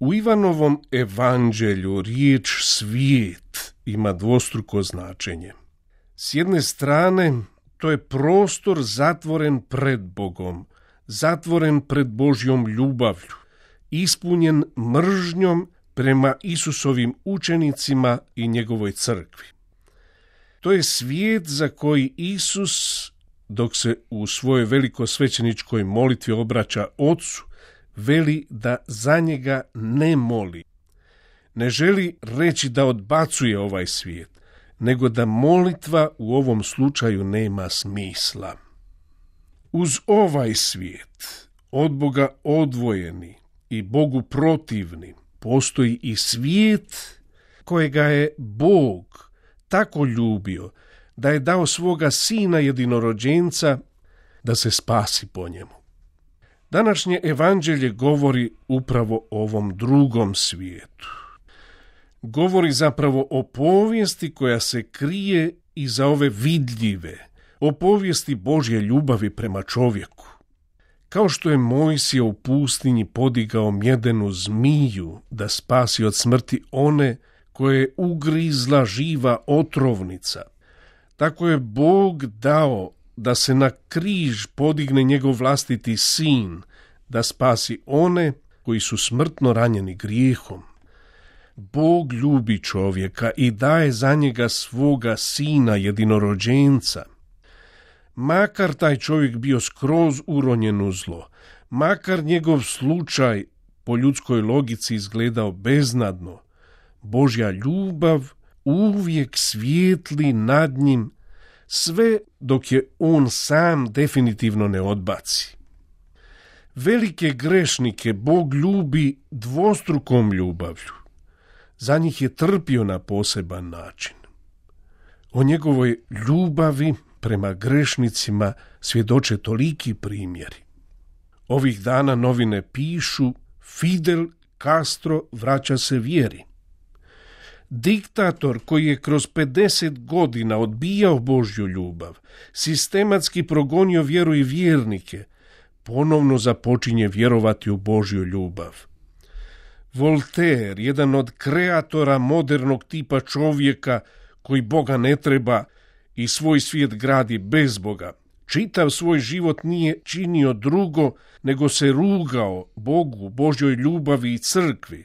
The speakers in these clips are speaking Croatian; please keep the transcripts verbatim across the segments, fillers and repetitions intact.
U Ivanovom evanđelju riječ svijet ima dvostruko značenje. S jedne strane, to je prostor zatvoren pred Bogom, zatvoren pred Božjom ljubavlju, ispunjen mržnjom prema Isusovim učenicima i njegovoj crkvi. To je svijet za koji Isus, dok se u svojoj velikosvećeničkoj molitvi obraća Otcu, veli da za njega ne moli. Ne želi reći da odbacuje ovaj svijet, nego da molitva u ovom slučaju nema smisla. Uz ovaj svijet, od Boga odvojeni i Bogu protivni, postoji i svijet kojega je Bog tako ljubio da je dao svoga sina jedinorođenca da se spasi po njemu. Današnje evanđelje govori upravo o ovom drugom svijetu. Govori zapravo o povijesti koja se krije iza ove vidljive, o povijesti Božje ljubavi prema čovjeku. Kao što je Mojsije u pustinji podigao mjedenu zmiju da spasi od smrti one koje je ugrizla živa otrovnica, tako je Bog dao da se na križ podigne njegov vlastiti sin, da spasi one koji su smrtno ranjeni grijehom. Bog ljubi čovjeka i daje za njega svoga sina jedinorođenca. Makar taj čovjek bio skroz uronjen u zlo, makar njegov slučaj po ljudskoj logici izgledao beznadno, Božja ljubav uvijek svijetli nad njim, sve dok je on sam definitivno ne odbaci. Velike grešnike Bog ljubi dvostrukom ljubavlju. Za njih je trpio na poseban način. O njegovoj ljubavi prema grešnicima svjedoče toliki primjeri. Ovih dana novine pišu: Fidel Castro vraća se vjeri. Diktator koji je kroz pedeset godina odbijao Božju ljubav, sistematski progonio vjeru i vjernike, ponovno započinje vjerovati u Božju ljubav. Voltaire, jedan od kreatora modernog tipa čovjeka koji Boga ne treba i svoj svijet gradi bez Boga, čitav svoj život nije činio drugo nego se rugao Bogu, Božjoj ljubavi i crkvi,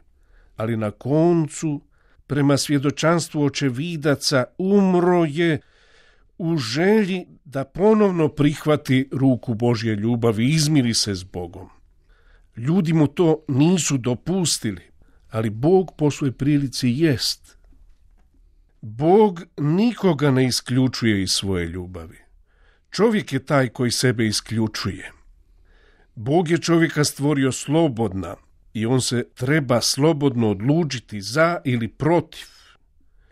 ali na koncu, prema svjedočanstvu očevidaca, umro je u želji da ponovno prihvati ruku Božje ljubavi i izmiri se s Bogom. Ljudi mu to nisu dopustili, ali Bog po svojoj prilici jest. Bog nikoga ne isključuje iz svoje ljubavi. Čovjek je taj koji sebe isključuje. Bog je čovjeka stvorio slobodna i on se treba slobodno odlučiti za ili protiv.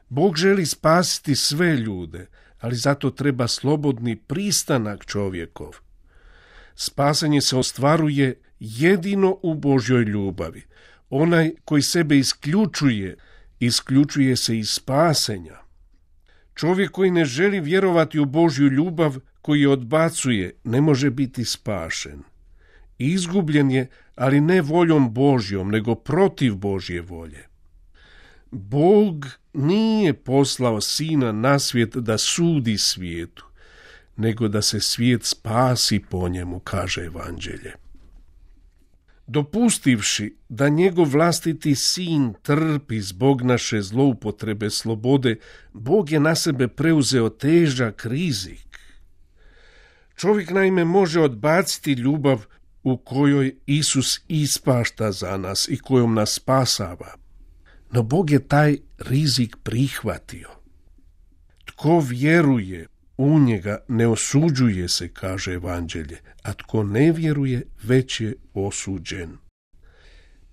Bog želi spasiti sve ljude, ali zato treba slobodni pristanak čovjekov. Spasanje se ostvaruje jedino u Božjoj ljubavi. Onaj koji sebe isključuje, isključuje se iz spasenja. Čovjek koji ne želi vjerovati u Božju ljubav, koji je odbacuje, ne može biti spašen. Izgubljen je, ali ne voljom Božjom, nego protiv Božje volje. Bog nije poslao sina na svijet da sudi svijetu, nego da se svijet spasi po njemu, kaže evanđelje. Dopustivši da njegov vlastiti sin trpi zbog naše zloupotrebe slobode, Bog je na sebe preuzeo težak rizik. Čovjek naime može odbaciti ljubav u kojoj Isus ispašta za nas i kojom nas spasava. No Bog je taj rizik prihvatio. Tko vjeruje u njega ne osuđuje se, kaže evanđelje, a tko ne vjeruje već je osuđen.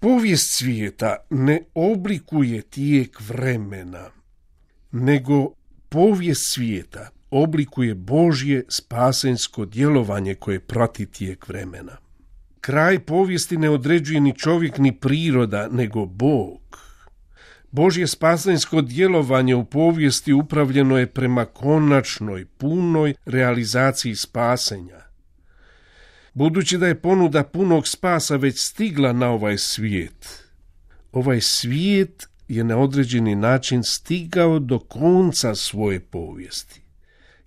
Povijest svijeta ne oblikuje tijek vremena, nego povijest svijeta oblikuje Božje spasensko djelovanje koje prati tijek vremena. Kraj povijesti ne određuje ni čovjek ni priroda, nego Bog. Božje spasensko djelovanje u povijesti upravljeno je prema konačnoj, punoj realizaciji spasenja. Budući da je ponuda punog spasa već stigla na ovaj svijet, Ovaj svijet je na određeni način stigao do konca svoje povijesti.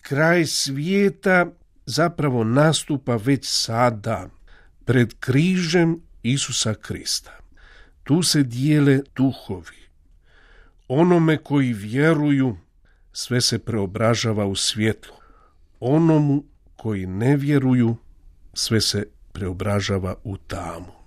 Kraj svijeta zapravo nastupa već sada, pred križem Isusa Krista. Tu se dijele duhovi. Onome koji vjeruju, sve se preobražava u svjetlo. Onomu koji ne vjeruju, sve se preobražava u tamu.